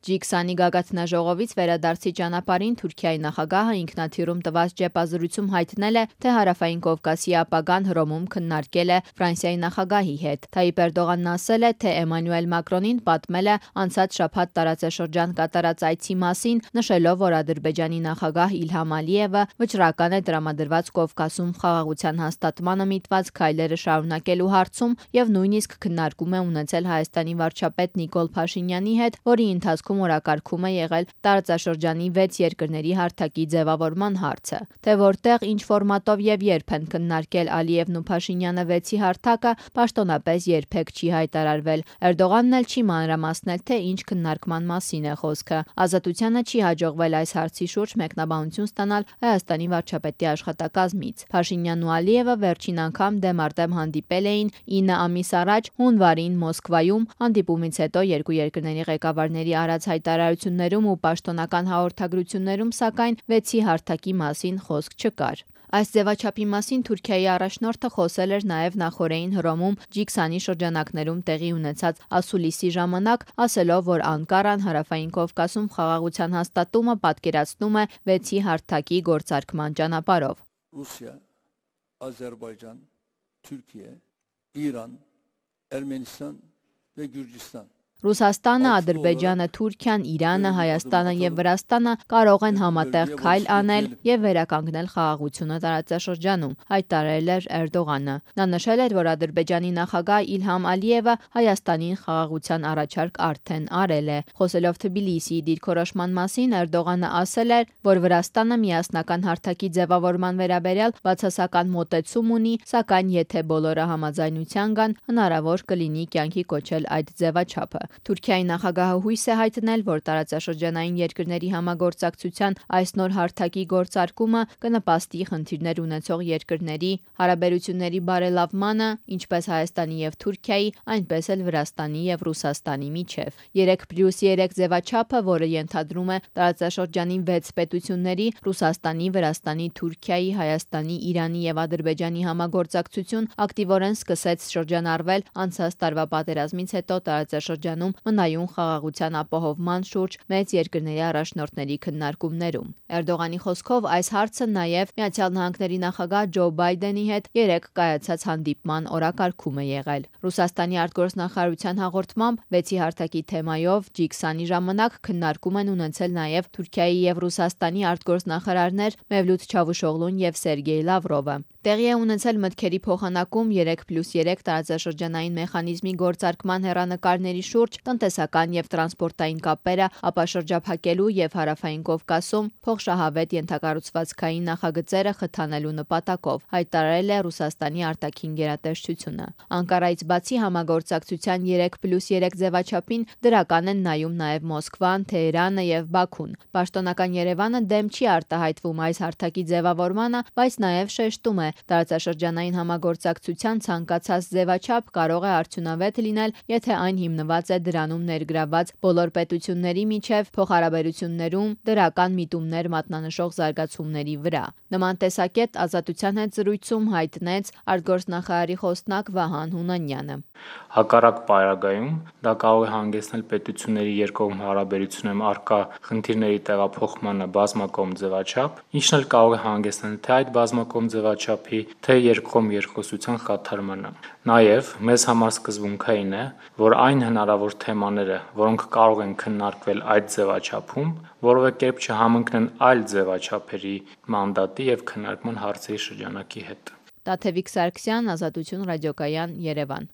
G20 գագաթնաժողովից վերադարձի ճանապարհին Թուրքիայի նախագահը ինքնաթիռում տված ճեպազրույցում հայտնել է, թե Հարավային Կովկասի ապագան Հռոմում քննարկել է Ֆրանսիայի նախագահի հետ։ Թայիպ Էրդողանն ասել է, թե Էմանուել Մակրոնին պատմել է անցած շաբաթ տարածաշրջան կատարած այցի մասին, նշելով, որ Ադրբեջանի նախագահ Իլհամ Ալիևը վճռական է տրամադրված Կովկասում խաղաղության հաստատմանը միտված քայլերը շարունակելու հարցում եւ նույնիսկ քննարկում է ունեցել Հայաստանի վարչապետ Նիկոլ Փաշինյանի հետ, որի ընթացքում օրակարգում է եղել տարածաշրջանի 6 երկրների հարթակի ձևավորման հարցը։ Թե որտեղ, ինչ ֆորմատով եւ երբ են քննարկել Ալիևն ու Փաշինյանը 6-ի հարթակը, պաշտոնապես երբեք չի հայտարարվել։ Էրդողանն էլ չի մանրամասնել, թե ինչ քննարկման մասին է խոսքը։ Ազատությանը չի հաջողվել այս հարցի շուրջ մեկնաբանություն ստանալ Հայաստանի վարչապետի աշխատակազմից։ Փաշինյանն ու Ալիևը վերջին անգամ դեմարտեմ հանդիպել էին 9 ամիս առաջ հունվարին Մոսկվայում, հանդիպումից հետո երկու երկրների ղեկավարների արած հայտարարություններում ու պաշտոնական հաղորդագրություններում սակայն 6-ի հարթակի մասին խոսք չկար։ Այս ձևաչափի մասին Թուրքիայի առաջնորդը խոսել էր նաև նախօրեին Հռոմում G20 շրջանակներում տեղի ունեցած ասուլիսի ժամանակ, ասելով, որ Անկարան Հարավային Կովկասում խաղաղության հաստատումը պատկերացնում է 6-ի հարթակի գործարկման ճանապարհով։ Ռուսիա, Ադրբեջան, Թուրքիա, Իրան, Էրմենստան և Գյուրջիստան Ռուսաստանը, Ադրբեջանը, Թուրքիան, Իրանը, Հայաստանը եւ Վրաստանը կարող են համատեղ քայլ անել եւ վերականգնել խաղաղությունը տարածաշրջանում, հայտարարել էր Էրդողանը։ Նա նշել էր, որ Ադրբեջանի նախագահ Իլհամ Ալիևը Հայաստանին խաղաղության առաջարկ արդեն արել է։ Խոսելով Թբիլիսիի դիրքորոշման մասին, Էրդողանը ասել էր, որ Վրաստանը միասնական հարթակի ձևավորման վերաբերյալ բացասական մոտեցում ունի, սակայն եթե բոլորը համաձայնության գան, հնարավոր կլինի կյանքի կոչել այդ ձևաչափը։ Թուրքիայի նախագահը հույս է հայտնել, որ տարածաշրջանային երկրների համագործակցության այս նոր հարթակի գործարկումը կնպաստի խնդիրներ ունեցող երկրների հարաբերությունների բարելավմանը, ինչպես Հայաստանի եւ Թուրքիայի, այնպես էլ Վրաստանի եւ Ռուսաստանի միջև։ 3+3 ձևաչափը, որը ենթադրում է տարածաշրջանի 6 պետությունների՝ Ռուսաստանի, Վրաստանի, Թուրքիայի, Հայաստանի, Իրանի եւ Ադրբեջանի համագործակցություն, ակտիվորեն սկսեց շրջանառվել անցած տարվա պատերազմից հետո տարածաշրջանում մնայուն խաղաղության ապահովման շուրջ մեծ երկրների առաջնորդների քննարկումներում։ Էրդողանի խոսքով այս հարցը նաև ԱՄՆ նախագահ Ջո Բայդենի հետ երեկ կայացած հանդիպման օրակարգում է եղել։ Ռուսաստանի արտգործնախարարության հաղորդմամբ 6-ի հարթակի թեմայով G20 ժամանակ քննարկում են ունեցել նաև Թուրքիայի եւ Ռուսաստանի արտգործնախարարներ Մևլութ Չավուշօղլուն եւ Սերգեյ Լավրովը։ Տեղի է ունեցել մտքերի փոխանակում 3+3 տարածաշրջանային մեխանիզմի գործարկման հեռանկարների շուրջ, տնտեսական եւ տրանսպորտային կապերը ապաշրջափակելու եւ Հարավային Կովկասում փոխշահավետ ենթակառուցվածքային նախագծերը խթանելու նպատակով, հայտարարել է Ռուսաստանի արտաքին գերատեսչությունը։ Անկարայից բացի համագործակցության 3+3 ձևաչափին դրական են նայում նաև Մոսկվան, Թեհրանը եւ Բաքուն։ Պաշտոնական Երևանը դեմ չի արտահայտվում այս հարթակի ձևավորմանը, բայց նաև շեշտում է, տարածաշրջանային համագործակցության ցանկացած ձևաչափ կարող է արդյունավետ լինել, եթե այն հիմնված է դրանում ներգրավված բոլոր պետությունների միջև փոխհարաբերություններում դրական միտումներ մատնանշող զարգացումների վրա։ Նման տեսակետ Ազատության հետ զրույցում հայտնեց արտգործնախարարի խոսնակ Վահան Հունանյանը։ Հակառակ պարագայում դա կարող է հանգեցնել պետությունների երկկողմ հարաբերություններում առկա խնդիրների տեղափոխմանը բազմակողմ ձևաչափ, ինչն էլ կարող է հանգեցնել թե այդ բազմակողմ ձևաչափի, թե երկկողմ երկխոսության խաթարմանը։ Նաև մեզ համար սկզբունքային է, որ այն հնարավոր թեմաները, որոնք կարող են քննարկվել այդ ձևաչափում, որևէ կերպ չհամընկնեն այլ ձևաչափերի մանդատի եւ քննարկման հարցերի շրջանակի հետ։ Տաթևիկ Սարգսյան, Ազատություն ռադիոկայան, Երևան։